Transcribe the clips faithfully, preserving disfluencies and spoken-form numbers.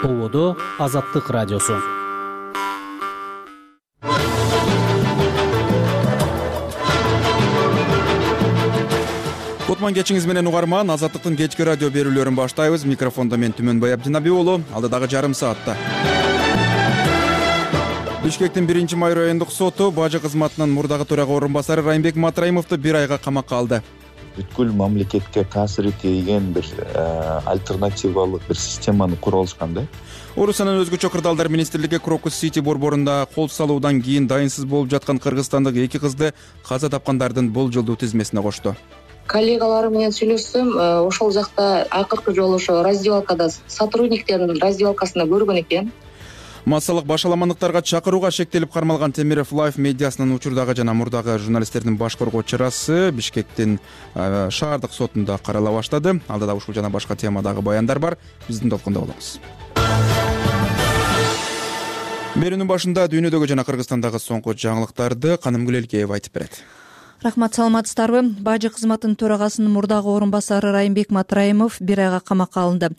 Ободо Азаттык радиосу. Кутман кечиңиз менен угарман, Азаттыктын кечки радио берүүлөрүн баштайбыз. Микрофондо мен Түмөнбай Абдинабий уулу. Алдыдагы жарым саатта Бишкектин биринчи май райондук соту бажы кызматынын мурдагы төрага орун басары Райымбек Матраимовду бир айга камакка алды. Бүткүл мамлекетке таасир тийген бир альтернативалык бир системаны куруп алышкан да. Орусиянын өзгөчө кырдаалдар министрлиги Крокус Сити борборунда кол салуудан кийин дайынсыз болуп жаткан кыргызстандык эки кызды каза тапкандардын болжолдуу тизмесине кошту. Коллегаларым менен сүйлөшсөм, ошол жакта акыркы жолу ошо раздевалкада сотрудниктердин раздевалкасында көргөн экен. Массалык башаламандыктарга чакырууга шектелип кармалган Темиров Лайф медиасынын учурдагы жана мурдагы журналисттердин баш коргоо чарасы Бишкектин шаардык сотунда карала баштады. Алдыда ушул жана башка темадагы баяндар бар. Биздин толкунда болуңуз. Берүүнүн башында дүйнөдөгү жана Кыргызстандагы соңку жаңылыктарды Канымгүл Элкеева айтып берет. Рахмат, саламатсыздарбы? Бажы кызматынын төрагасынын мурдагы орун басары Райымбек Матраимов бир айга камакка алынды.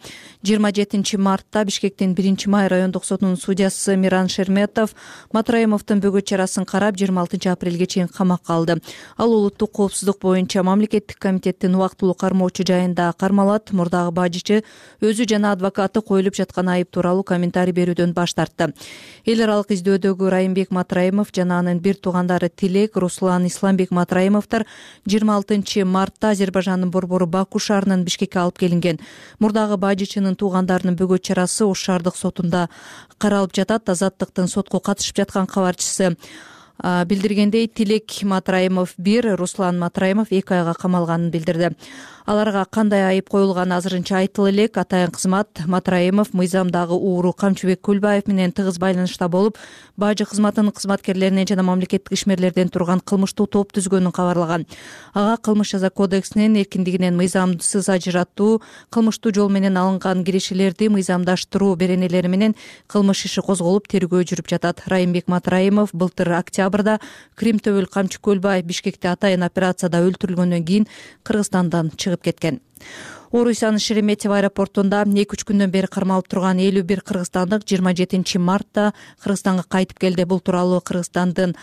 жыйырма жетинчи мартта Бишкектин биринчи май райондук сотунун судьясы Миран Шерметов Матраимовдун бөгөт чарасын карап, жыйырма алтынчы апрелге чейин камакка алды. Ал улуттук коопсуздук боюнча мамлекеттик комитеттин убактылуу кармоочу жайында кармалат. Мурдагы бажычы өзү жана адвокаты коюлуп жаткан айып тууралуу комментарий берүүдөн баш тартты. Эл аралык издөөдөгү Райымбек Матраимов жана анын бир туугандары Тилек, Руслан, Исламбек Матраимовдор жыйырма алтынчы мартта Азербайжандын борбору Баку шаарынан Бишкекке алып келинген. Мурдагы бажычынын туугандарынын бөгөт чарасы Ош шаардык сотунда каралып жатат. Азаттыктын сотко катышып жаткан кабарчысы билдиргендей, Тилек Матраимов бир, Руслан Матраимов эки айга камалганын билдирди. Аларга кандай айып коюлганы азырынча айтыла элек. Атайын кызмат Матраимов мыйзамдагы ууру Камчыбек Көлбаев менен тыгыз байланышта болуп, бажы кызматынын кызматкерлеринен жана мамлекеттик ишмерлерден турган кылмыштуу топ түзгөнүн кабарлаган. Ага кылмыш жаза кодексинин эркиндигинен мыйзамсыз ажыратуу, кылмыштуу жол менен алынган киришелерди мыйзамдаштыруу беренелери менен кылмыш иши козголуп, тергөө жүрүп жатат. Райымбек Матраимов былтыр октябрда Кримтөбөл Камчы Көлбаев Бишкекте атайын операцияда өлтүрүлгөндөн кийин Кыргызстандан чыгып кеткен. Орусиянын Шереметьево аэропортунда эки үч күндөн бери кармалып турган элүү бир кыргызстандык жыйырма жетинчи мартта Кыргызстанга кайтып келди. Бул тууралуу Кыргызстандын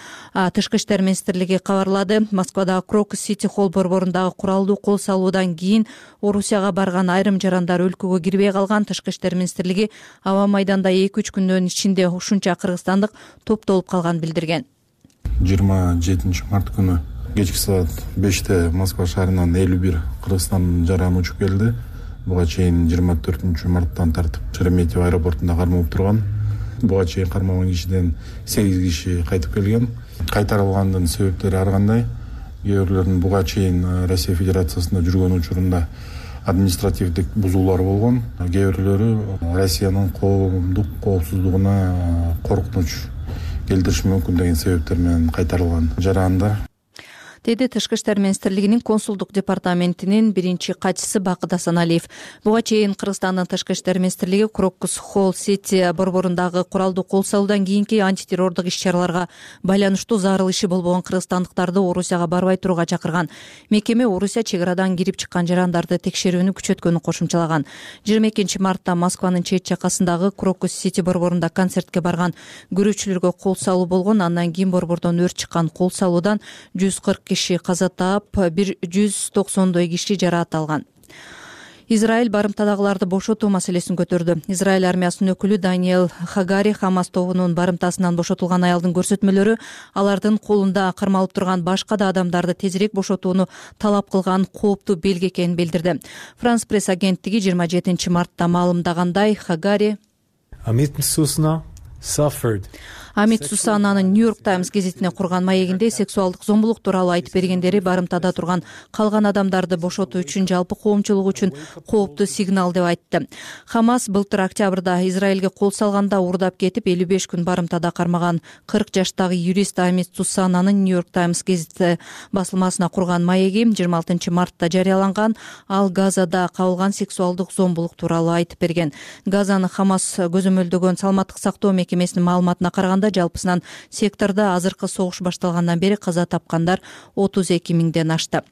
тышкы иштер министрлиги кабарлады. Москвадагы Крокус Сити холл борборундагы куралдуу кол салуудан кийин Орусияга барган айрым жарандар өлкөгө кирбей калган. Тышкы иштер министрлиги аба майданда эки үч күндөн ичинде ушунча кыргызстандык топтолуп калганын билдирген. жыйырма жетинчи март күнү кечки саат беште Москва шаарынан элүү бир Кыргызстан жараны учуп келди. Буга чейин жыйырма төртүнчү марттан тартып Шереметьево аэропортунда кармалып турган. Буга чейин кармалган кишиден сегиз киши кайтып келген. Кайтарылгандын себептери ар кандай. Кээ бирлеринин буга чейин Россия Федерациясында жүргөн учурунда административдик бузуулар болгон. Кээ бирлери Россиянын коомдук коопсуздугуна коркунуч келтириши мүмкүн деген себептер менен кайтарылган жарандар, деди Тышкы иштер министрлигинин консулдук департаментинин биринчи катчысы Бакыт Асаналиев. Буга чейин Кыргызстандын Тышкы иштер министрлиги Крокус Холл Сити борборундагы куралдуу кол салуудан кийинки антитеррордук иш-чараларга байланыштуу зарыл иши болбогон кыргызстандыктарды Орусияга барбай турууга чакырган. Мекеме Орусия чек арадан кирип чыккан жарандарды текшерүүнү күчөткөнү кошумчалаган. жыйырма экинчи мартта Москванын чет жакасындагы Крокус Сити борборунда концертке барган көрүүчүлөргө кол салуу болгон. Андан кийин борбордон өрт чыккан. Кол салуудан жүз кырк киши каза таап, бир жүз токсондой киши жараат алган. Израиль барымтадагыларды бошотуу маселесин көтөрдү. Израиль армиясынын өкүлү Даниэл Хагари Хамас тобунун барымтасынан бошотулган аялдын көрсөтмөлөрү алардын колунда кармалып турган башка да адамдарды тезирээк бошотууну талап кылган кооптуу белги экенин билдирди. Франс пресс агенттиги жыйырма жетинчи мартта маалымдагандай, Хагари Амит Сусананын Нью-Йорк Таймс гезитине курган маегинде сексуалдык зомбулук тууралуу айтып бергендери барымтада турган калган адамдарды бошотуу үчүн жалпы коомчулук үчүн кооптуу сигнал деп айтты. Хамас былтыр октябрда Израилге кол салганда уурдап кетип элүү беш күн барымтада кармаган кырк жаштагы юрист Амит Сусананын Нью-Йорк Таймс гезити басылмасына курган маеги жыйырма алтынчы мартта жарыяланган. Ал Газада кабылган сексуалдык зомбулук тууралуу айтып берген. Газаны Хамас көзөмөлдөгөн саламаттык сактоо мекемесинин маалыматына караганда жалпысынан сектордо азыркы согуш башталгандан бери каза тапкандар отуз эки миңден ашты.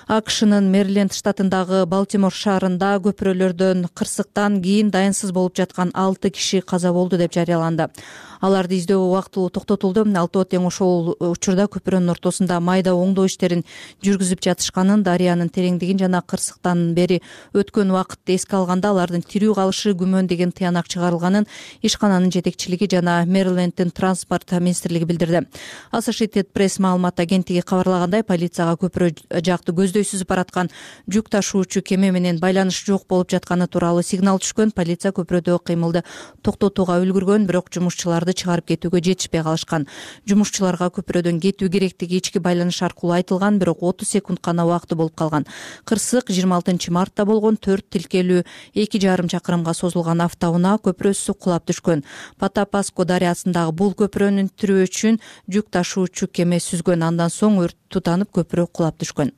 акшнын Мэриленд штатындагы Балтимор шаарында көпүрөлөрдөн кырсыктан кийин дайынсыз болуп жаткан алты киши каза болду деп жарыяланды. Аларды издөө убактылуу токтотулду. Алтоо тең ошол учурда көпүрөнүн ортосунда майда оңдоо иштерин жүргүзүп жатышканын, дарыянын тереңдигин жана кырсыктан бери өткөн убакытты эске алганда алардын тирүү калышы күмөн деген тыянак чыгарылганын ишкананын жетекчилиги жана Мэриленддин транспорт министрлиги билдирди. Associated Press маалымат агенттиги кабарлагандай, полицияга көпүрө жакты көздөй сүзүп бараткан жүк ташуучу кеме менен байланыш жок болуп жатканы тууралуу сигнал түшкөн. Полиция көпүрөдөгү кыймылды токтотууга үлгүргөн, бирок жумушчулар чыгарып кетүүгө жетишпей калышкан. Жумушчуларга көпүрөдөн кетүү керектиги ички байланыш аркылуу айтылган, бирок отуз секунд гана убакыты болуп калган. Кырсык жыйырма алтынчы мартта болгон. Төрт тилкелүү эки жарым чакырымга созулган автоунаа көпүрөсү кулап түшкөн. Патапаско дарыясындагы бул көпүрөнүн тирөө үчүн жүк ташуучу кеме сүзгөн. Андан соң өрт тутанып көпүрө кулап түшкөн.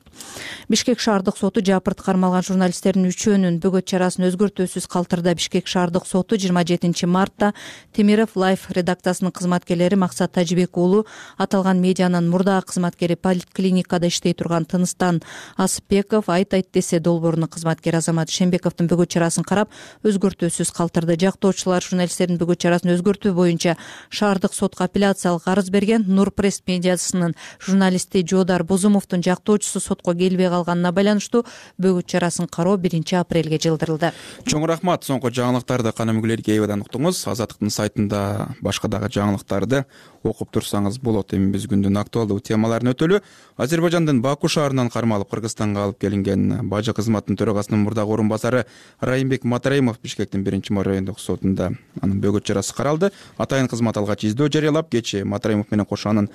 Бишкек шаардык соту жапырт кармалган журналисттердин үчөөнүн бөгөт чарасын өзгөртүүсүз калтырды. Бишкек шаардык соту жыйырма жетинчи мартта Темиров Лайф редакциясынын кызматкерлери Максат Тажибек уулу, аталган медианын мурдагы кызматкери, поликлиникада иштей турган Тыныстан Асыпбеков, Айт айт десе долбоорунун кызматкери Азамат Шембековдун бөгөт чарасын карап, өзгөртүүсүз калтырды. Жактоочулар журналисттердин бөгөт чарасын өзгөртүү боюнча шаардык сотко апелляциялык арыз берген. Нур пресс медиасынын журналисти Жоодар Бозумовдун жактоочусу сотко келбей калганына байланыштуу бөгөт чарасын кароо биринчи апрелге жылдырылды. Чоң рахмат. Соңку жаңылыктарды кана мүгүлөргө эбадан уктуңуз. Азаттыктын сайтында башка дагы жаңылыктарды окуп турсаңыз болот. Эми биз күндүн актуалдуу темаларын өтөлү. Азербайжандын Баку шаарынан кармалып Кыргызстанга алып келинген бажы кызматынын төрагасынын мурдагы орун басары Райымбек Матраимов Бишкектин биринчи май райондук сотунда анын бөгөт чарасы каралды. Атайын кызмат алгач издөө жарыялап, кечээ Матраимов менен кошо анын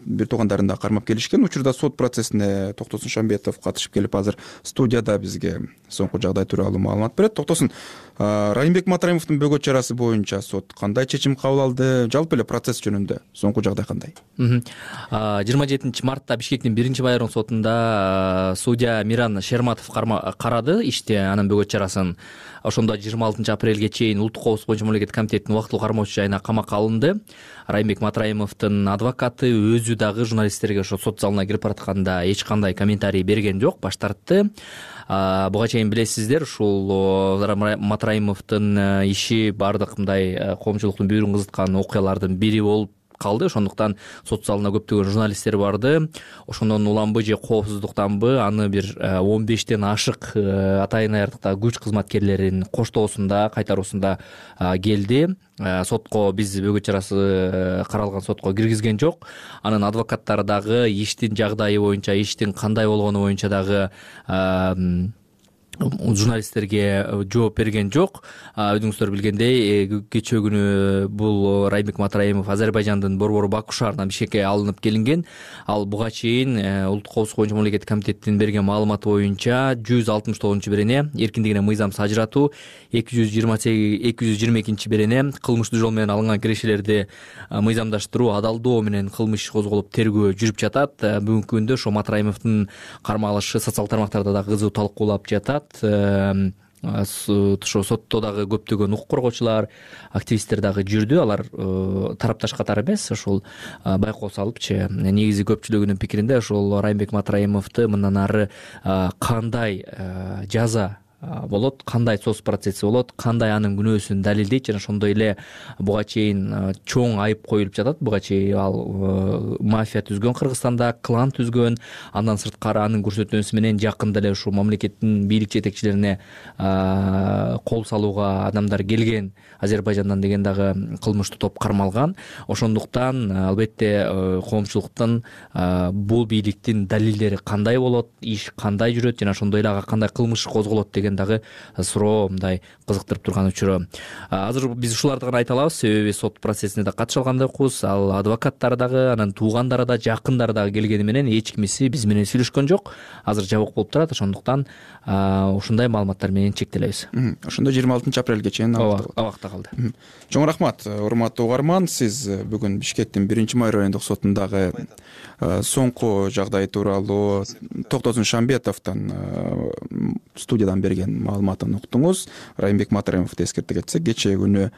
бир туугандарын да кармап келишкен. Учурда сот процессине Токтосун Шамбетов катышып келип, азыр студияда бизге соңку жагдай тууралуу маалымат берет. Токтосун, Райымбек Матраимовдун бөгөт чарасы боюнча сот кандай чечим кабыл алды? Жалпы эле процесс жөнүндө соңку жагдай кандай? жыйырма жетинчи мартта Бишкектин биринчи май районук сотунда судья Миран Шерматов карады ишти анын бөгөт чарасын. Ошондо жыйырма алтынчы апрелге чейин Улуттук коопсуздук боюнча мамлекеттик комитеттин убактылуу кармоочу жайына камакка алынды. Райымбек Матраимовдун адвокаты өзү дагы журналисттерге ошо сот залына кирип баратканда эч кандай комментарий берген жок, баш тартты. Буга чейин билесиздер, ушул Матраимовдун иши баардык мындай коомчулуктун бүйүрүн кызыткан окуялардын бири болуп калды. Ошондуктан сот залына көптөгөн журналисттер барды. Ошондон уламбы же коопсуздуктанбы аны бир он бештен ашык атайын аярдыктагы күч кызматкерлеринин коштоосунда, кайтаруусунда келди. Сотко биз бөгөт чарасы каралган сотко киргизген жок. Анын адвокаттары дагы иштин жагдайы боюнча, иштин кандай болгону боюнча дагы журналисттерге жооп берген жок. Өзүңүздөр билгендей, кечээ күнү бул Райымбек Матраимов Азербайжандын борбору Баку шаарынан Бишкекке алынып келинген. Ал буга чейин Улуттук коопсуздук боюнча мамлекеттик комитеттин берген маалыматы боюнча жүз алтымыш тогузунчу берене эркиндигине мыйзамсыз ажыратуу, эки жүз жыйырма экинчи берене кылмыштуу жол менен алынган кирешелерди мыйзамдаштыруу, адалдоо менен кылмыш иши козголуп тергөө жүрүп жатат. Бүгүнкү күндө ошо Матраимовдун кармалышы социалдык тармактарда да кызуу талкуулап жатат. Ошо сотто дагы көптөгөн укук коргоочулар, активисттер дагы жүрдү. Алар тарапташ катары эмес, ошол байкоо салыпчы. Негизи көпчүлүгүнүн пикиринде ошол Райымбек Матраимовду мындан ары кандай жаза болот, кандай соц процесси болот, кандай анын күнөөсүн далилдейт жана ошондой эле буга чейин чоң айып коюлуп жатат. Буга чейин ал мафия түзгөн, Кыргызстанда клан түзгөн, андан сырткары анын көрсөтмөсү менен жакында эле ушул мамлекеттин бийлик жетекчилерине кол салууга адамдар келген Азербайжандан деген дагы кылмыштуу топ кармалган. Ошондуктан албетте коомчулуктун бул бийликтин далилдери кандай болот, иш кандай жүрөт жана ошондой эле ага кандай кылмыш козголот деген дагы суроо мындай кызыктырып турган учуру. Азыр биз ушуларды гана айта алабыз, себеби сот процессине да катыша алгандайбыз. Ал адвокаттары дагы, анын туугандары да, жакындары дагы келгени менен эч кимиси биз менен сүйлөшкөн жок. Азыр жабык болуп турат. Ошондуктан ушундай маалыматтар менен чектелебиз. Ошондо жыйырма алтынчы апрелге чейин абакта калды. Чоң рахмат, урматтуу угарман. Сиз бүгүн Бишкектин биринчи май райондук сотундагы соңку жагдай тууралуу Токтосун Шамбетовдун студиядан берген маалыматын уктуңуз. Райымбек Матраимовду эскерте кетсек, кечээ күнү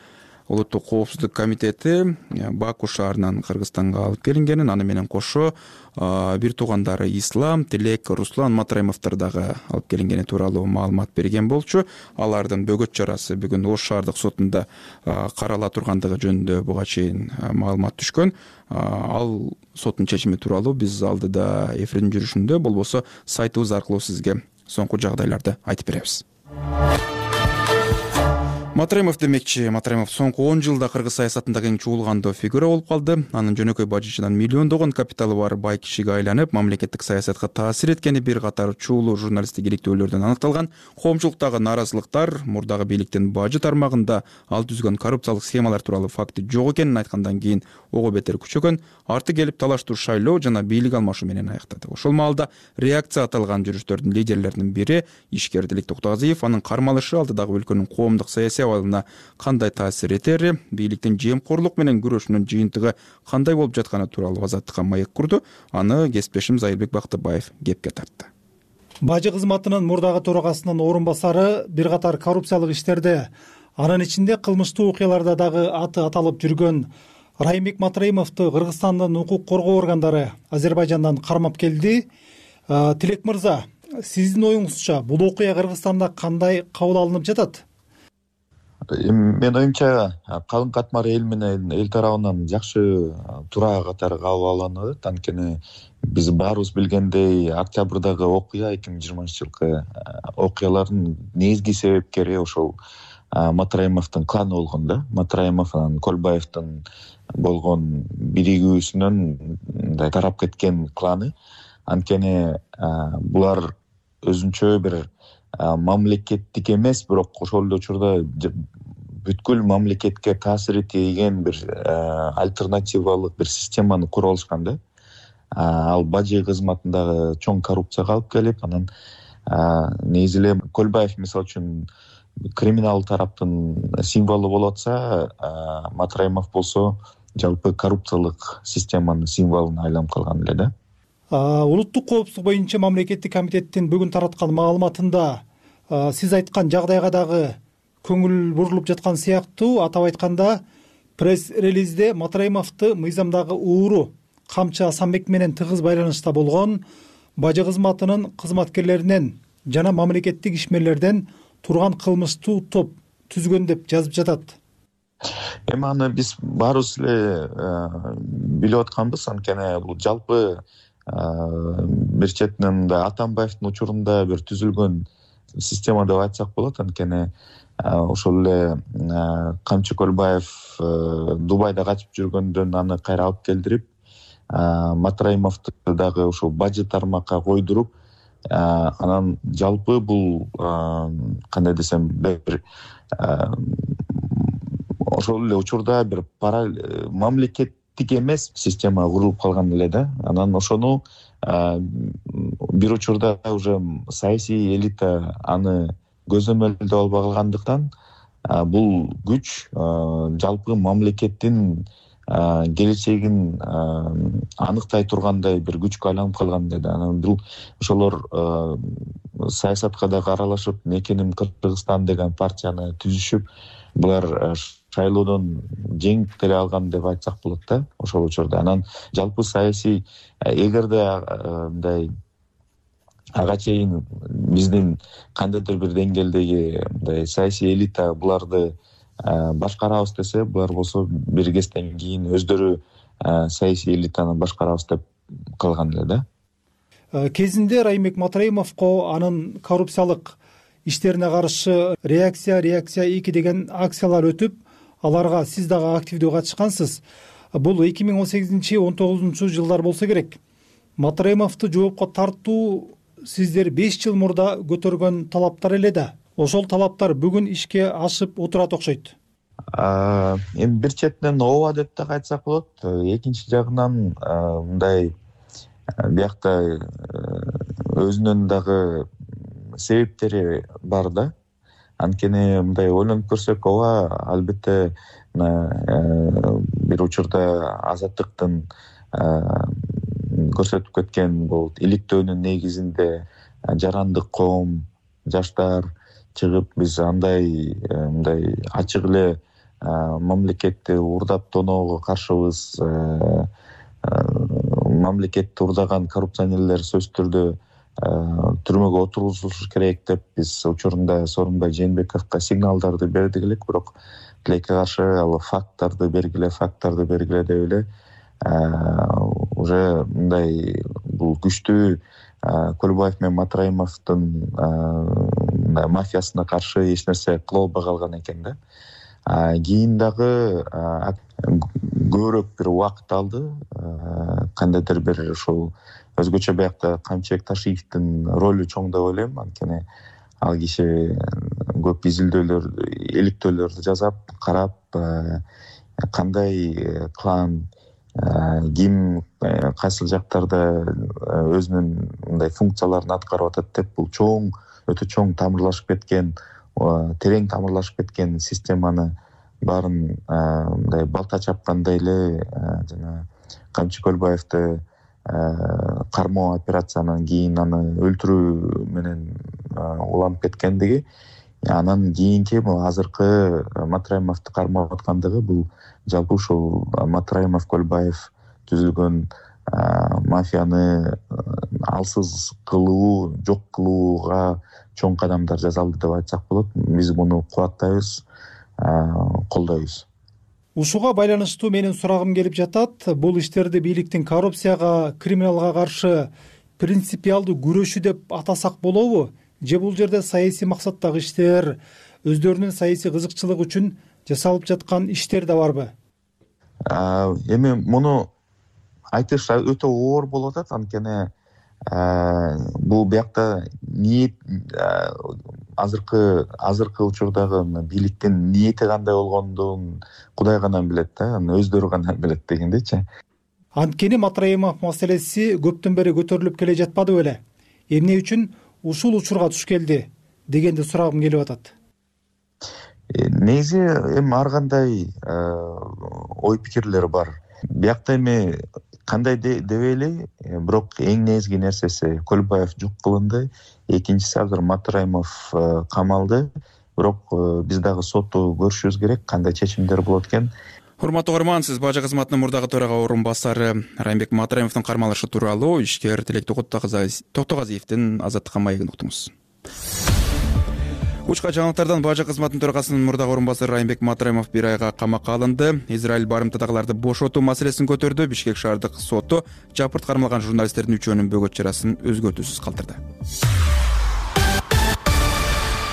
улуттук коопсуздук комитети Баку шаарынан Кыргызстанга алып келингенин, аны менен кошо бир туугандары Ислам, Тилек, Руслан Матраимовдор дагы алып келингени тууралуу маалымат берген болчу. Алардын бөгөт чарасы бүгүн Ош шаардык сотунда карала тургандыгы жөнүндө буга чейин маалымат түшкөн. Ал соттун чечими тууралуу биз алдыда эфирдин жүрүшүндө болбосо сайтыбыз аркылуу сизге соңку жагдайларды айтып беребиз. Матраимов демекчи, Матраимов соңку он жылда кыргыз саясатында кең чуулгандуу фигура болуп калды. Анын жөнөкөй бажычынан миллиондогон капиталы бар бай кишиге айланып, мамлекеттик саясатка таасир эткени бир катар чуулуу журналисттик иликтөөлөрдөн аныкталган. Коомчулуктагы нааразылыктар, мурдагы бийликтин бажы тармагында ал түзгөн коррупциялык схемалар тууралуу факти жок экенин айткандан кийин ого бетер күчөгөн, арты келип талаштуу шайлоо жана бийлик алмашуу менен аяктады. Ошол маалда реакция аталган жүрүштөрдүн лидерлеринин бири ишкер Тилек Токтогазиев, анын кармалышы алдыдагы өлкөнүн коомдук саясий абалына кандай таасир этери, бийликтин жемкорлук менен күрөшүнүн жыйынтыгы кандай болуп жатканы тууралуу Азаттыкка маек курду. Аны кесиптешим Зайырбек Бактыбаев кепке тартты. Бажы кызматынын мурдагы төрагасынын орун басары бир катар коррупциялык иштерде, анын ичинде кылмыштуу окуяларда дагы аты аталып жүргөн Райымбек Матраимовду Кыргызстандын укук коргоо органдары Азербайжандан кармап келди. Тилек мырза, сиздин оюңузча бул окуя Кыргызстанда кандай кабыл алынып жатат? Мен оюмча калың катмар эл менен эл тарабынан жакшы туура катары кабыл алынат. Анткени биз баарыбыз билгендей, октябрдагы окуя эки миң жыйырманчы жылкы окуялардын негизги себепкери ошол Матраимовдун кланы болгон да. Матраимов анан Көлбаевдин болгон биригүүсүнөн мындай тарап кеткен кланы. Анткени булар өзүнчө бир мамлекеттик эмес, бирок ошол эле учурда бүткүл мамлекетке таасири тийген бир альтернативалык бир системаны куруп алышкан да. Ал бажы кызматындагы чоң коррупцияга алып келип, анан негизи эле Көлбаев мисалы үчүн криминал тараптын символу болуп атса, Матраимов болсо жалпы коррупциялык системанын символуна айланып калган эле да. Улуттук коопсуздук боюнча мамлекеттик комитеттин бүгүн тараткан маалыматында сиз айткан жагдайга дагы көңүл бурулуп жаткан сыяктуу. Атап айтканда, пресс-релизде Матраимовду мыйзамдагы ууру Камчы Асанбек менен тыгыз байланышта болгон бажы кызматынын кызматкерлеринен жана мамлекеттик ишмерлерден турган кылмыштуу топ түзгөн деп жазып жатат. Эми аны биз баарыбыз эле билип атканбыз. Анткени бул жалпы бир четинен да Атамбаевдин учурунда бир түзүлгөн система деп айтсак болот. Анткени ошол эле Камчы Көлбаев Дубайда качып жүргөндөн аны кайра алып келдирип, Матраимовду дагы ошол бажы тармакка койдуруп, анан жалпы бул кандай десем, бир ошол эле учурда бир мамлекеттик эмес система курулуп калган эле да. Анан ошону бир учурда уже саясий элита аны көзөмөлдөп албай калгандыктан бул күч жалпы мамлекеттин келечегин аныктай тургандай бир күчкө айланып калган эле да. Анан бул ошолор саясатка дагы аралашып, Мекеним Кыргызстан деген партияны түзүшүп, булар шайлоодон жеңип деле алган деп айтсак болот да ошол учурда. Анан жалпы саясий, эгерде мындай ага чейин биздин кандайдыр бир деңгээлдеги мындай саясий элита буларды башкарабыз десе, булар болсо бир кезден кийин өздөрү саясий элитаны башкарабыз деп калган эле да. Кезинде Райымбек Матраимовго анын коррупциялык иштерине каршы реакция реакция эки деген акциялар өтүп, аларга сиз дагы активдүү катышкансыз. Бул эки миң он сегизинчи он тогузунчу жылдар болсо керек. Матраимовду жоопко тартуу сиздер беш жыл мурда көтөргөн талаптар эле да. Ошол талаптар бүгүн ишке ашып отурат окшойт. Эми бир четинен ооба деп да айтсак болот. Экинчи жагынан мындай биякта өзүнүн дагы себептери бар да. Анткени мындай ойлонуп көрсөк, ооба, албетте бир учурда Азаттыктын көрсөтүп кеткен бул иликтөөнүн негизинде жарандык коом, жаштар чыгып, биз андай мындай ачык эле мамлекетти урдап тоноого каршыбыз. Мамлекетти урдаган коррупционерлер сөзсүз түрдө түрмөгө отургузулушу керек деп биз учурунда Сооронбай Жээнбековго сигналдарды бердик элек, бирок тилекке каршы ал факттарды бергиле, факттарды бергиле деп эле уже мындай бул күчтүү Көлбаев менен Матраимовдун мафиясына каршы эч нерсе кыла албай калган экен да. Кийин дагы көбүрөөк бир убакыт алды. Кандайдыр бир ушул өзгөчө биякта Камчыбек Ташиевдин ролу чоң деп ойлойм. Анткени ал киши көп изилдөөлөр, иликтөөлөрдү жасап, карап, кандай клан, ким кайсыл жактарда өзүнүн мындай функцияларын аткарып атат деп, бул чоң, өтө чоң тамырлашып кеткен, терең тамырлашып кеткен системаны баарын мындай балта чапкандай эле жана Камчы Көлбаевди кармоо операциянан кийин аны өлтүрүү менен уланып кеткендиги, анан кийинки бул азыркы Матраимовду кармап аткандыгы бул жалпы ушул Матраимов Көлбаев түзүлгөн мафияны алсыз кылуу, жок кылууга чоң кадамдар жасалды деп айтсак болот. Биз муну кубаттайбыз, колдойбуз. Ушуга байланыштуу менин сурагым келип жатат. Бул иштерди бийликтин коррупцияга, криминалга каршы принципиалдуу күрөшү деп атасак болобу? Же бул жерде саясий максаттагы иштер, өздөрүнүн саясий кызыкчылыгы үчүн жасалып жаткан иштер да барбы? Эми муну айтыш өтө оор болуп атат, анткени бул биякта ниет, азыркы азыркы учурдагы бийликтин ниети кандай болгондугун Кудай гана билет да, өздөрү гана билет дегендейчи. Анткени Матраимов маселеси көптөн бери көтөрүлүп келе жатпады беле? Эмне үчүн ушул учурга туш келди дегенди сурагым келип атат. Негизи эми ар кандай ой пикирлер бар. Биякта эми кандай дебейли, бирок эң негизги нерсеси Көлбаев жок кылынды, экинчиси азыр Матраимов камалды, бирок биз дагы сотто көрүшүбүз керек кандай чечимдер болот экен. Урматтуу угарман, сиз бажы кызматынын мурдагы төрага орун басары Райымбек Матраимовдун кармалышы тууралуу ишкер Тилек Токтогазиевдин Азаттыкка маегин уктуңуз. Учка жаңылыктардан бажы кызматынын төрагасынын мурдагы орун басары Райымбек Матраимов бир айга камакка алынды. Израиль барымтадагыларды бошотуу маселесин көтөрдү. Бишкек шаардык соту жапырт кармалган журналисттердин үчөөнүн бөгөт чарасын өзгөртүүсүз калтырды.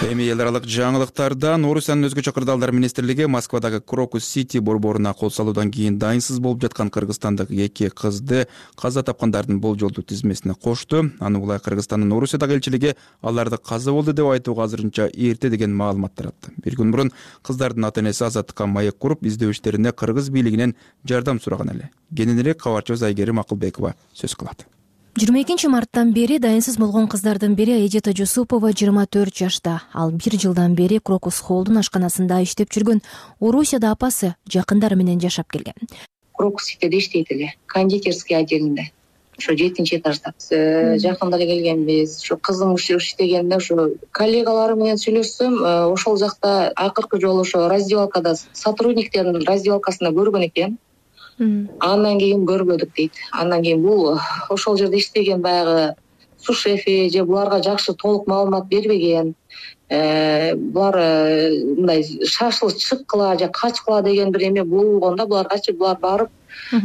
Эми эл аралык жаңылыктардан Орусиянын өзгөчө кырдаалдар министрлиги Москвадагы Крокус Сити борборуна кол салуудан кийин дайынсыз болуп жаткан кыргызстандык эки кызды каза тапкандардын болжолдуу тизмесине кошту. Аны улай Кыргызстандын Орусиядагы элчилиги аларды каза болду деп айтууга азырынча эрте деген маалымат таратты. Бир күн мурун кыздардын ата-энеси Азаттыкка маек куруп, издөө иштерине кыргыз бийлигинен жардам сураган эле. Кененирээк кабарчыбыз Айгерим Акылбекова сөз кылат. жыйырма экинчи марттан бери дайынсыз болгон кыздардын бири Эжета Жусупова жыйырма төрт жашта. Ал бир жылдан бери Крокус Холлдун ашканасында иштеп жүргөн. Орусияда апасы жакындары менен жашап келген. Крокус Ситиде иштейт эле, кондитерский отделинде. Ошо жетинчи этажда. Жакында эле келгенбиз. Ошо кызым иштегенде ошо коллегалары менен сүйлөшсөм, ошол жакта акыркы жолу ошо раздевалкада сотрудниктердин раздевалкасында көргөн экен. Андан кийин көрбөдүк дейт. Андан кийин бул ошол жерде иштеген баягы сушефи же буларга жакшы толук маалымат бербеген. Булар мындай шашылыш чыккыла же качкыла деген бир эме болгон да, буларгачы булар барып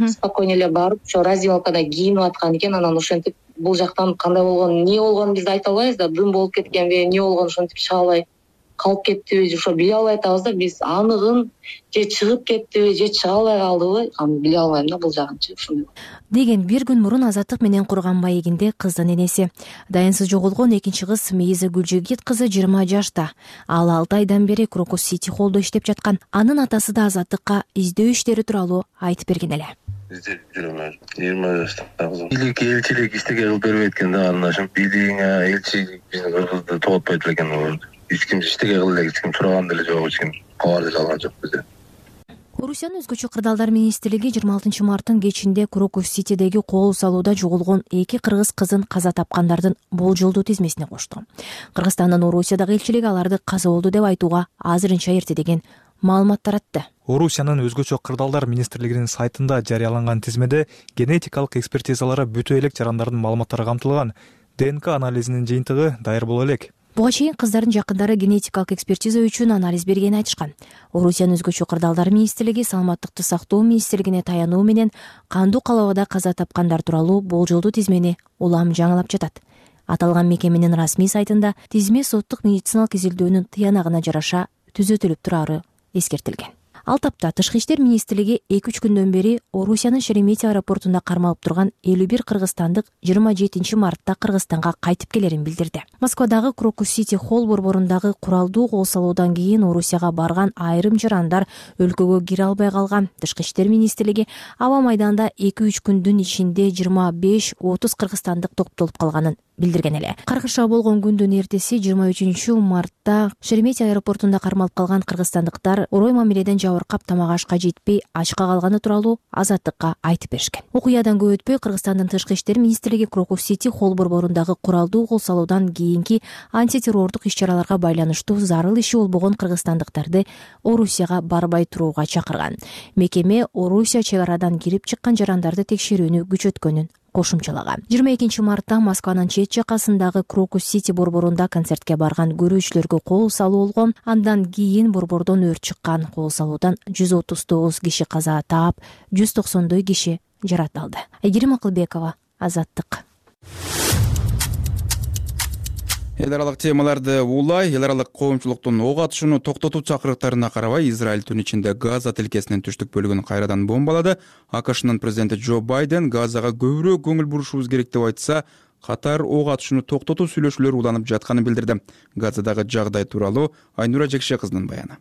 спокойно эле барып ошо раздевалкада кийинип аткан экен. Анан ошентип бул жактан кандай болгон, эмне болгонун биз айта албайбыз да, дым болуп кеткенби, эмне болгонун ошентип чыга албай калып кеттиби, ошо биле албай атабыз да. Биз аныгын же чыгып кеттиби же чыга албай калдыбы, аны биле албайм да, бул жагынчы ушундай деген. Бир күн мурун Азаттык менен курган маегинде кыздын энеси дайынсыз жоголгон экинчи кыз Мейза Гүлжигит кызы жыйырма жашта. Ал алты айдан бери Крокус Сити Холлдо иштеп жаткан. Анын атасы да Азаттыкка издөө иштери тууралуу айтып берген эле. Издеп жүрөм, жыйырма жашта кызым. Бийлик элчилик иштеге кылып бербейт экен да, анан ошо бийлигиңе элчи биздин кыргызды тоготпойт экен. Эч ким иштеге кыл эле, эч ким сураган деле жок, эч ким кабар деле алган жок бизде. Орусиянын өзгөчө кырдаалдар министрлиги жыйырма алтынчы марттын кечинде Крокус Ситидеги кол салууда жоголгон эки кыргыз кызын каза тапкандардын болжолдуу тизмесине кошту. Кыргызстандын Орусиядагы элчилиги аларды каза болду деп айтууга азырынча эрте деген маалымат таратты. Орусиянын өзгөчө кырдаалдар министрлигинин сайтында жарыяланган тизмеде генетикалык экспертизалары бүтө элек жарандардын маалыматтары камтылган. ДНК анализинин жыйынтыгы даяр боло элек. Буга чейин кыздардын жакындары генетикалык экспертиза үчүн анализ бергенин айтышкан. Орусиянын өзгөчө кырдаалдар министрлиги саламаттыкты сактоо министрлигине таянуу менен кандуу калабада каза тапкандар тууралуу болжолдуу тизмени улам жаңылап жатат. Аталган мекеменин расмий сайтында тизме соттук медициналык изилдөөнүн тыянагына жараша түзөтүлүп турары эскертилген. Ал тапта Тышкы иштер министрлиги эки үч күндөн бери Орусиянын Шереметьево аэропортунда кармалып турган элүү бир кыргызстандык жыйырма жетинчи мартта Кыргызстанга кайтып келерин билдирди. Москвадагы Крокус Сити холл борборундагы куралдуу кол салуудан кийин Орусияга барган айрым жарандар өлкөгө кире албай калган. Тышкы иштер министрлиги аба майданда эки үч күндүн ичинде жыйырма беш отуз кыргызстандык топтолуп калганын билдирген эле. Каргыша болгон күндүн эртеси жыйырма үчүнчү мартта Шереметьево аэропортунда кармалып калган кыргызстандыктар орой мамиледен жабыркап тамак ашка жетпей ачка калганы тууралуу Азаттыкка айтып беришкен. Окуядан көп өтпөй Кыргызстандын Тышкы иштер министрлиги Крокус Сити холл борборундагы куралдуу кол салуудан кийинки антитеррордук иш-чараларга байланыштуу зарыл иши болбогон кыргызстандыктарды Орусияга барбай турууга чакырган. Мекеме Орусия чек арадан кирип чыккан жарандарды текшерүүнү күчөткөнүн кошумчалаган. жыйырма экинчи мартта Москванын чет жакасындагы Крокус Сити борборунда концертке барган көрүүчүлөргө кол салуу болгон. Андан кийин борбордон өрт чыккан. Кол салуудан жүз отуз тогуз киши каза таап, жүз токсондой киши жаратылды. Айгерим Акылбекова, Азаттык. Эл аралык темаларды улай, эл аралык коомчулуктун ок атышууну токтотуу чакырыктарына карабай Израиль түн ичинде Газа тилкесинин түштүк бөлүгүн кайрадан бомбалады. АКШнын президенти Джо Байден Газага көбүрөөк көңүл бурушубуз керек деп айтса, катар ок атышууну токтотуу сүйлөшүүлөр уланып жатканын билдирди. Газадагы жагдай тууралуу Айнура Жекше кызынын баяны.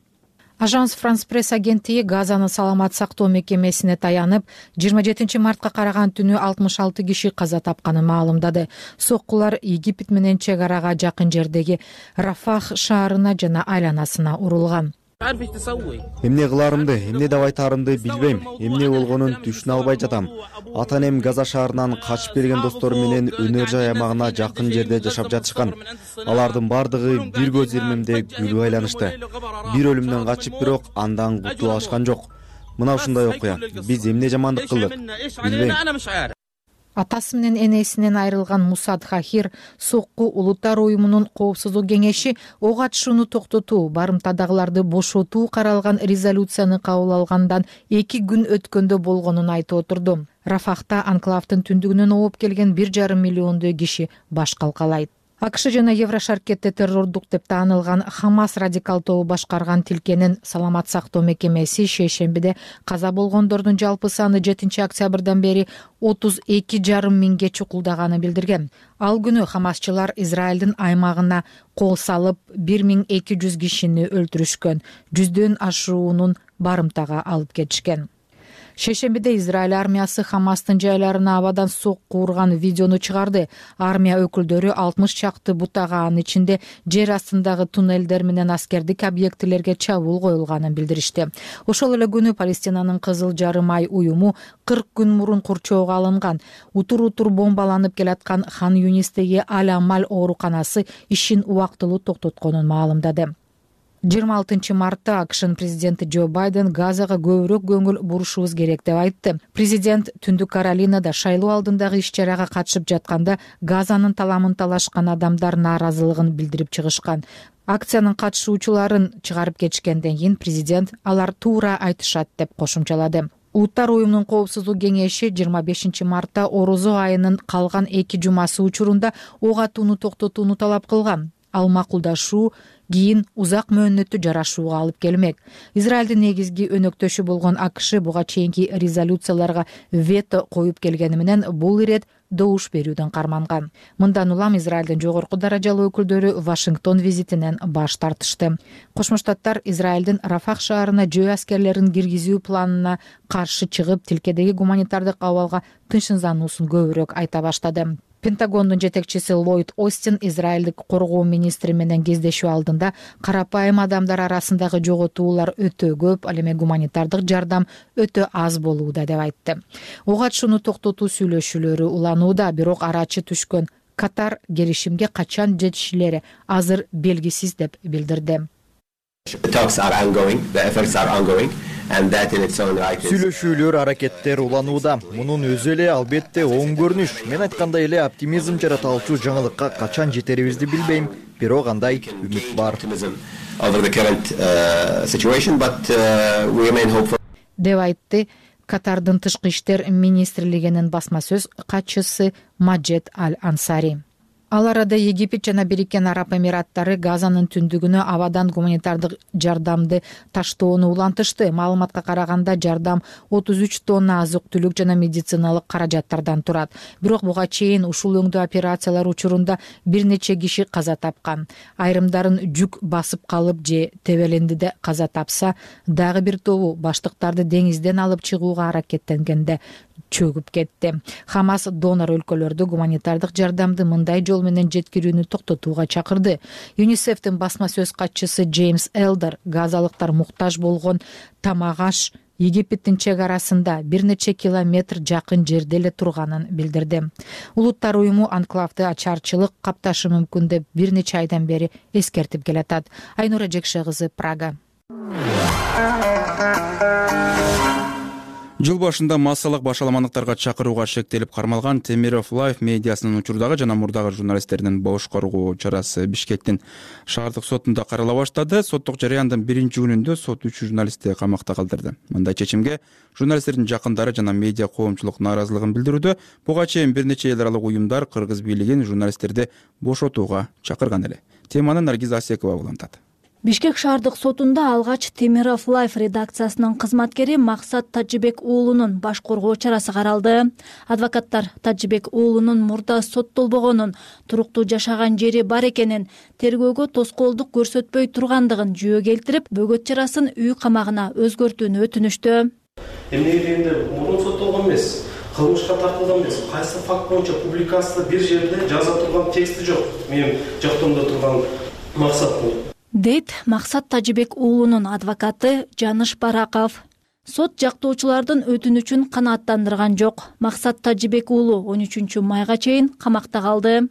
Ажанс Франс пресс агенттиги Газанын саламат сактоо мекемесине таянып, жыйырма жетинчи мартка караган түнү алтымыш алты киши каза тапканын маалымдады. Соккулар Египет менен чек арага жакын жердеги Рафах шаарына жана айланасына урулган. Эмне кыларымды, эмне деп айтаарымды билбейм. Эмне болгонун түшүнө албай жатам. Ата энем Газа шаарынан качып келген достору менен өнөр жай аймагына жакын жерде жашап жатышкан. Алардын бардыгы бир көз ирмемде күлүп айланышты. Бир өлүмдөн качып, бирок андан кутула алышкан жок. Мына ушундай окуя. Биз эмне жамандык кылдык? Билбейм. Атасы менен энесинен айрылган Мусад Хахир сокку улуттар уюмунун коопсуздук кеңеши ок атышууну токтотуу, барымтадагыларды бошотуу каралган резолюцияны кабыл алгандан эки күн өткөндө болгонун айтып отурду. Рафахта анклавдын түндүгүнөн ооп келген бир жарым миллиондой киши баш калкалайт. АКШ жана Еврошаркетте террордук деп таанылган Хамас радикал тобу башкарган тилкенин саламат сактоо мекемеси шейшембиде каза болгондордун жалпы саны жетинчи октябрдан бери отуз эки жарым миңге чукулдаганын билдирген. Ал күнү хамасчылар Израилдин аймагына кол салып бир миң эки жүз кишини өлтүрүшкөн, жүздөн ашуунун барымтага алып кетишкен. Шейшембиде Израиль армиясы Хамастын жайларына абадан сокку урган видеону чыгарды. Армия өкүлдөрү алтымыш чакты бутага, анын ичинде жер астындагы туннелдер менен аскердик объектилерге чабуул коюлганын билдиришти. Ошол эле күнү Палестинанын Кызыл жарым ай уюму кырк күн мурун курчоого алынган утур-утур бомбаланып келаткан Хан Юнистеги Аль-Амаль ооруканасы ишин убактылуу токтотконун маалымдады. жыйырма алтынчы мартта АКШнын президенти Джо Байден Газага көбүрөөк көңүл бурушубуз керек деп айтты. Президент Түндүк Каролинада шайлоо алдындагы иш-чарага катышып жатканда Газанын таламын талашкан адамдар нааразылыгын билдирип чыгышкан. Акциянын катышуучуларын чыгарып кетишкенден кийин президент алар туура айтышат деп кошумчалады. Улуттар уюмунун коопсуздук кеңеши жыйырма бешинчи мартта орозо айынын калган эки жумасы учурунда ок атууну токтотууну талап кылган. Ал макулдашуу кийин узак мөөнөттүү жарашууга алып келмек. Израилдин негизги өнөктөшү болгон АКШ буга чейинки резолюцияларга вето коюп келгени менен бул ирет добуш берүүдөн карманган. Мындан улам Израилдин жогорку даражалуу өкүлдөрү Вашингтон визитинен баш тартышты. Кошмо Штаттар Израилдин Рафах шаарына жөө аскерлерин киргизүү планына каршы чыгып, тилкедеги гуманитардык абалга тынчсыздануусун көбүрөөк айта баштады. Пентагондун жетекчиси Ллойд Остин Израилдик коргоо министри менен кездешүү алдында карапайым адамдар арасындагы жоготуулар өтө көп, ал эми гуманитардык жардам өтө аз болууда деп айтты. Ок атышууну токтотуу сүйлөшүүлөрү уланууда, бирок арачы түшкөн Катар келишимге качан жетишилери азыр белгисиз деп билдирди. Сүйлөшүүлөр, аракеттер уланууда. Мунун өзү эле албетте оң көрүнүш. Мен айткандай эле оптимизм жараталчу жаңылыкка качан жетерибизди билбейм, бирок андай үмүт бар деп айтты Катардын тышкы иштер министрлигинин басма сөз катчысы Маджед Аль-Ансари. Ал арада Египет жана Бириккен Араб Эмираттары Газанын түндүгүнө абадан гуманитардык жардамды таштоону улантышты. Маалыматка караганда жардам отуз үч тонна азык-түлүк жана медициналык каражаттардан турат. Бирок буга чейин ушул өңдүү операциялар учурунда бир нече киши каза тапкан. Айрымдарын жүк басып калып же тебелендиде каза тапса, дагы бир тобу баштыктарды деңизден алып чыгууга аракеттенгенде чөгүп кетти. Хамас донор өлкөлөрдү гуманитардык жардамды мындай жол менен жеткирүүнү токтотууга чакырды. ЮНИСЕФтин басма сөз катчысы Джеймс Элдер газалыктар муктаж болгон тамак-аш Египеттин чек арасында бир нече километр жакын жерде эле турганын билдирди. Улуттар уюму анклавды ачарчылык капташы мүмкүн деп бир нече айдан бери эскертип келатат. Айнура Жекше кызы, Прага. Жыл башында массалык башаламандыктарга чакырууга шектелип кармалган Темиров Лайф медиасынын учурдагы жана мурдагы журналисттердин бош коргоо чарасы Бишкектин шаардык сотунда карала баштады. Соттук жарыяндын биринчи күнүндө сот үч журналистти камакта калтырды. Мындай чечимге журналисттердин жакындары жана медиа коомчулук нааразылыгын билдирүүдө. Буга чейин бир нече эл аралык уюмдар кыргыз бийлигин журналисттерди бошотууга чакырган эле. Теманы Наргиз Асекова улантат. Бишкек шаардык сотунда алгач Темиров Лайф редакциясынын кызматкери Максат Тажибек уулунун баш коргоо чарасы каралды. Адвокаттар Тажибек уулунун мурда соттолбогонун, туруктуу жашаган жери бар экенин, тергөөгө тоскоолдук көрсөтпөй тургандыгын жүйө келтирип, бөгөт чарасын үй камагына өзгөртүүнү өтүнүштү. Эмне дегенде мурун соттолгон эмес, кылмышка тартылган эмес. Кайсы факт боюнча публикацияда бир жерде жаза турган тексти жок. Менин жактоомдо турган Максат дейт Максат Тажибек уулунун адвокаты Жаныш Бараков. Сот жактоочулардын өтүнүчүн канааттандырган жок. Максат Тажибек уулу он үчүнчү майга чейин камакта калды.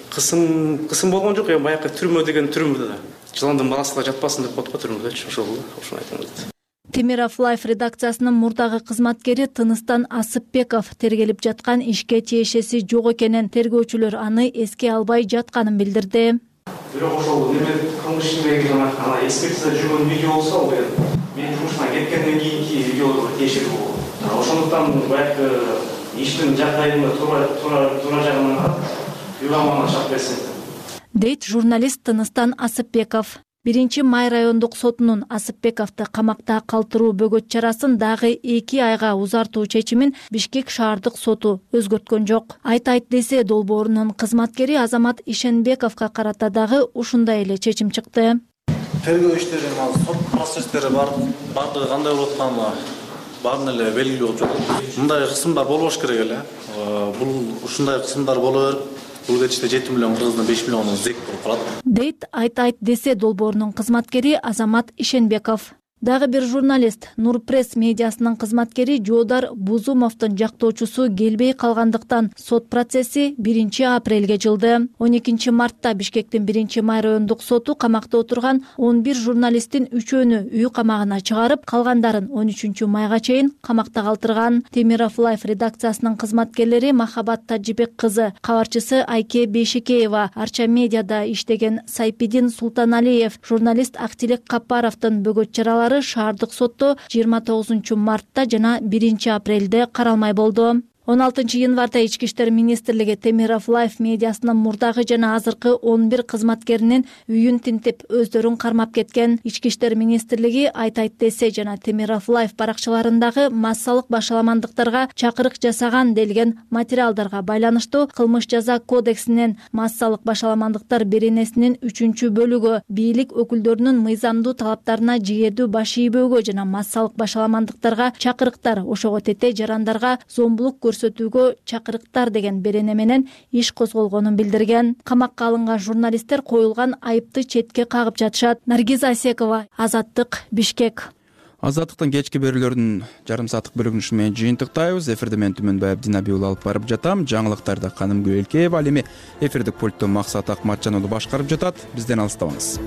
Кысым кысым болгон жок, эми баягы түрмө деген түрмөдө да. Жыландын баласыга жатпасын деп коет го түрмөдө, ошол ошону айтам дейт. Темиров Лайф редакциясынын мурдагы кызматкери Тыныстан Асыпбеков тергелип жаткан ишке тиешеси жок экенин, тергөөчүлөр аны эске албай жатканын билдирди. Бирок ошол неме кылмыш ишиндеги жана экспертиза жүргөн видео болсо, ал мен жумуштан кеткенден кийинки видеолорго тиешелүү болот. Ошондуктан баягы иштин жагдайын туура туура жагынан карап, үй камагына чыгып берсин дейт журналист Тыныстан Асыпбеков. Биринчи май райондук сотунун Асыпбековду камакта калтыруу бөгөт чарасын дагы эки айга узартуу чечимин Бишкек шаардык соту өзгөрткөн жок. Айт айт десе долбоорунун кызматкери Азамат Ишенбековго карата дагы ушундай эле чечим чыкты. Тергөө иштери, сот процесстери бар, бардыгы кандай болуп атканы баарын эле белгилүү болуп жатат. Мындай кысымдар болбош керек эле. Бул ушундай кысымдар боло берип, бул кетиште жети миллион кыргыздын беш миллиону зек болуп калат дейт айт айт десе долбоорунун кызматкери Азамат Ишенбеков. Дагы бир журналист Нур пресс медиасынын кызматкери Жоодар Бузумовдун жактоочусу келбей калгандыктан сот процесси биринчи апрелге жылды. он экинчи мартта Бишкектин биринчи май райондук соту камакта отурган он бир журналисттин үчөөнү үй камагына чыгарып, калгандарын он үчүнчү майга чейин камакта калтырган. Темиров Лайф редакциясынын кызматкерлери Махабат Тажибек кызы, кабарчысы Айке Бейшекеева, Арча медиада иштеген Сайпидин Султаналиев, журналист Актилек Капаровдун бөгөт чаралары шаардык сотто жыйырма тогузунчу мартта жана биринчи апрелде каралмай болду. он алтынчы январда Ички иштер министрлиги Темиров Лайф медиасынын мурдагы жана азыркы он бир кызматкеринин үйүн тинтип, өздөрүн кармап кеткен. Ички иштер министрлиги Айт айт десе жана Темиров Лайф баракчаларындагы массалык башаламандыктарга чакырык жасаган делген материалдарга байланыштуу кылмыш жаза кодексинин массалык башаламандыктар беренесинин үчүнчү бөлүгү бийлик өкүлдөрүнүн мыйзамдуу талаптарына жийедүү баш ийбөөгө жана массалык башаламандыктарга чакырыктар, ошого тете жарандарга зомбулук көрсөтүүгө чакырыктар деген берене менен иш козголгонун билдирген. Камакка алынган журналисттер коюлган айыпты четке кагып жатышат. Наргиз Асекова, Азаттык, Бишкек. Азаттыктын кечки берүүлөрүнүн жарым сааттык бөлүгүн ушу менен жыйынтыктайбыз. Эфирде мен Түмөнбай Абдинабий уулу алып барып жатам. Жаңылыктарды Канымгүл Элкеева, ал эми эфирдик пультту Максат Акматжан уулу башкарып жатат. Бизден алыстабаңыз.